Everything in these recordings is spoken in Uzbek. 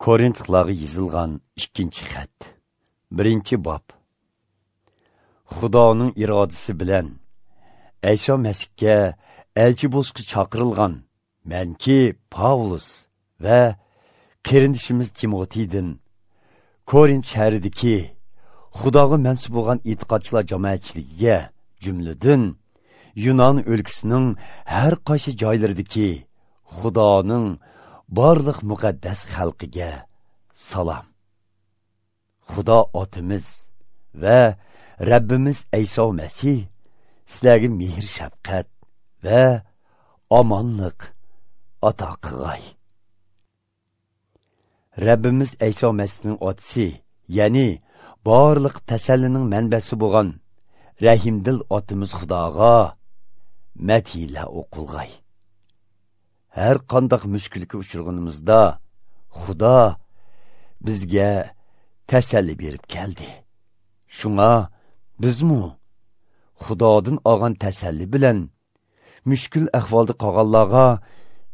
Korinthlarga yozilgan 2 xat. 1-bob. Xudoning irodasi bilan Ayso Masihga elchi bo'lishga chaqirilgan manki Pavlus va qarindishimiz Timotiydan Korint shahridagi Xudoga mansub bo'lgan e'tiqodchilar jamoatchiligiga, jumladan Yunon o'lkasining har qaysi joylaridagi Xudoning barliq muqaddas xalqiga salom. Xudo otimiz va Rabbimiz Ayso Masih sizlarga mehr shafqat va omonlik ato qilg'ay. Rabbimiz Ayso Masihning otisi, ya'ni barliq tasallining manbasi bo'lgan rahimdil otimiz Xudoga madhiylar o'qilg'ay. Har qandaq mushkulga uchraganimizda Xudo bizga tasalli berib keldi. Shunga bizmu Xudodan olgan tasalli bilan mushkul ahvolda qolganlarga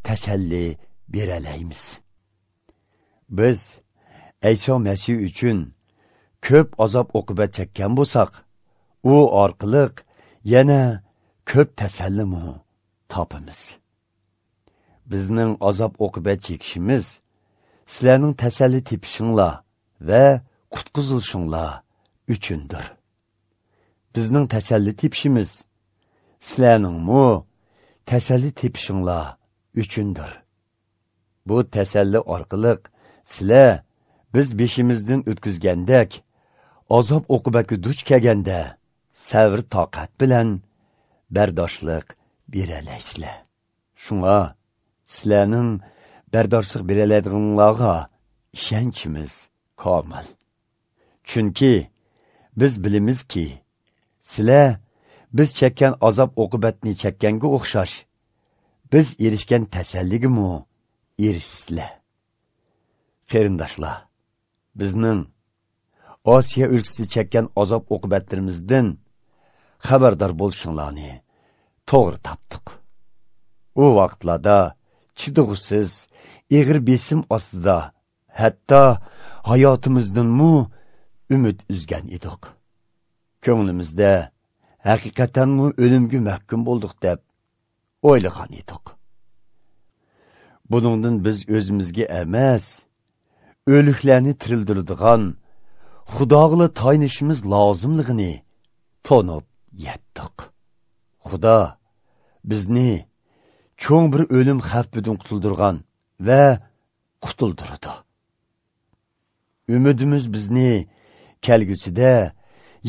tasalli beralaymiz. Biz Ayso Masih uchun ko'p azob uqubat chekkan bo'lsak, u orqali yana ko'p tasallimu topamiz. Bizning azob uqubat chekishimiz sizlarning tasalli tepishinglar va qutqizilishinglar uchundir. Bizning tasalli tepishimiz sizlarningmu tasalli tepishinglar uchundir. Bu tasalli orqali sizlar biz beshimizdan o'tkazgandek azob uqubatga duch kelganda sabr toqat bilan bardoshlik beralaysizlar. Shunga sizlarning bardoshlik beraladiganlarga ishonchimiz komil. Chunki biz bilamizki, sizlar biz chekkan azob uqubatni chekkanga o'xshash biz erishgan tasalligimi erishsizlar. Qarindoshlar, bizning Osiyo o'lkasida chekkan azob uqubatlarimizdan xabardor bo'lishinglarni to'g'ri topdik. U vaqtlarda chidug'siz ig'ir besim ostida hatto hayotimizdanmu umid uzgan edik. Ko'nglimizda haqiqatanmi o'limga mahkum bo'ldik deb o'ylagan edik. Buningdan biz o'zimizga emas, o'liklarni tirildiradigan Xudoga tayinishimiz lozimligini tonib yetdik. Xudo bizni cho'ng bir o'lim xavfidan qutuldirgan va qutuldirdi. Umidimiz bizni kelgusida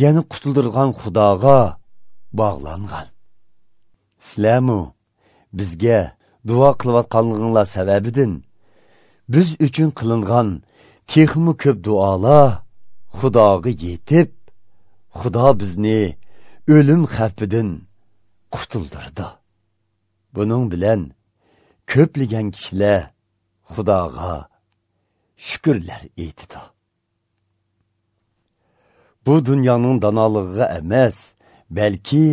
yana qutuldirgan Xudoga bog'langan. Sizlarmu bizga duo qilayotganliginglar sababidan biz uchun qilingan texmi ko'p duolar Xudoga yetib, Xudo bizni o'lim xavfidan qutuldirdi. Buning bilan ko'plagan kishilar Xudoga shukrlar aytdi. Bu dunyoning donolig'iga emas, balki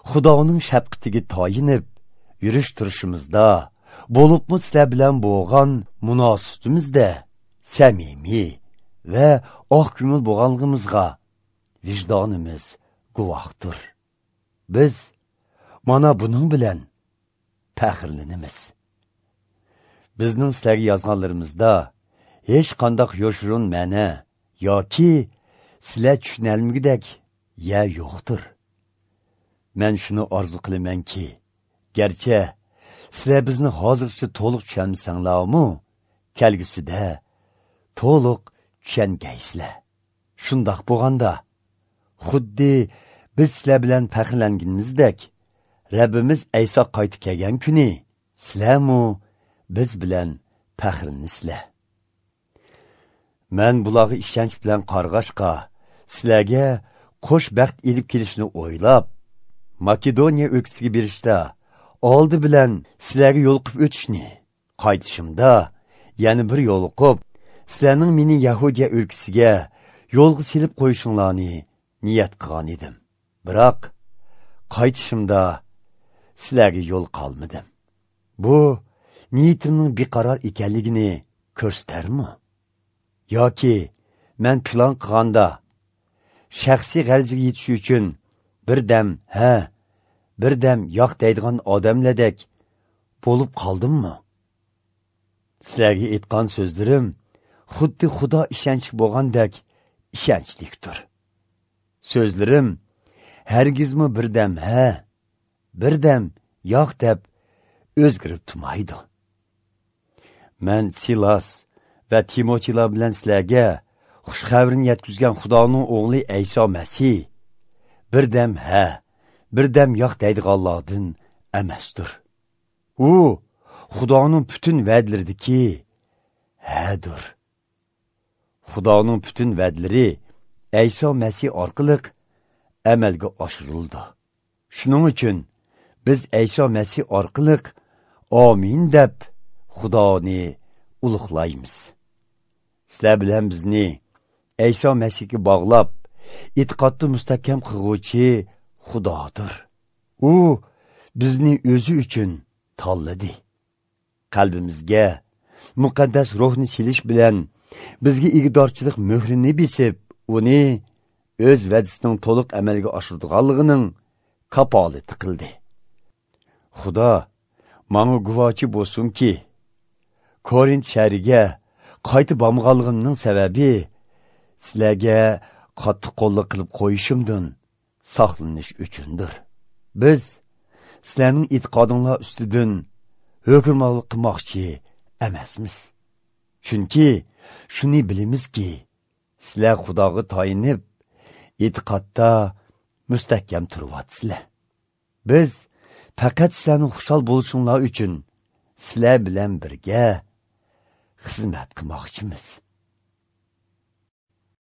Xudoning shafqatiga tayinib yurish turishimizda, bo'libmi sizlar bilan bo'lgan munosabatimizda samimiy va oq ko'ngil bo'lganligimizga vijdonimiz guvohdir. Biz mana buning bilan faxrlanamiz. Bizning sizlarga yozganlarimizda hech qanday yoshirin ma'no yoki sizlar tushunolmagudek ya yo'qdir. Men shuni orzu qilamanki, garchi sizlar bizni hozircha to'liq tushunmasanglarmi, kelgusida to'liq tushungaysizlar. Shundoq bo'lganda, xuddi biz sizlar bilan faxrlanganimizdek, Rabbimiz Ayso qaytib kelgan kuni sizlarmu biz bilan faxrlansizlar. Men bularga ishonch bilan qarg'ashqa sizlarga qo'sh baxt elib kelishni o'ylab, Makedoniya o'lkasiga berishda oldi bilan sizlarga yo'l qilib o'tishni, qaytishimda yana bir yo'l qilib, sizlarning meni Yahudiya o'lkasiga yo'lga selib qo'yishinglarni niyat qilgan edim. Biroq qaytishimda sizlarga yo'l qolmadim. Bu niyatimning beqaror ekanligini ko'rsatarmi? Yoki men plan qilganda shaxsiy g'arazga yetish uchun bir dam ha, bir dam yo'q deydigan odamlardek bo'lib qoldimmi? Sizlarga aytgan so'zlarim xuddi Xudo ishonchli bo'lgandek ishonchlikdir. So'zlarim hargizmi bir dam ha, bir dam yo'q deb o'zgarib turmaydi. Men Silas va Timotiylar bilan sizlarga xush xabarni yetkazgan Xudoning o'g'li Ayso Masih bir dam ha, bir dam yo'q deydiganlardan emasdir. U Xudoning butun va'dalaridagi hadir. Xudoning butun va'dalari Ayso Masih orqali amalga oshirildi. Shuning uchun biz Ayso Masih orqali amin deb Xudoni ulug'laymiz. Sizlar bilan bizni Ayso Masihga bog'lab, e'tiqodni mustahkam qilguvchi Xudodir. U bizni o'zi uchun tanladi. Qalbimizga muqaddas ruhni silish bilan bizga igdorchilik muhrini besib, uni o'z va'dasining to'liq amalga oshirdiganligining kafolati qildi. Xudo menga guvohchi bo'lsinki, Korint shahriga qaytib bormaganligimning sababi sizlarga qattiq qo'lliq qilib qo'yishimdan saqlanish uchundir. Biz sizlarning e'tiqodinglar ustidan hukmronlik qilmoqchi emasmiz. Chunki shuni bilamizki, sizlar Xudoga tayinib, e'tiqodda mustahkam turyapsizlar. Biz faqat sizlarning xushal bo'lishinglar uchun sizlar bilan birga xizmat qilmoqchimiz.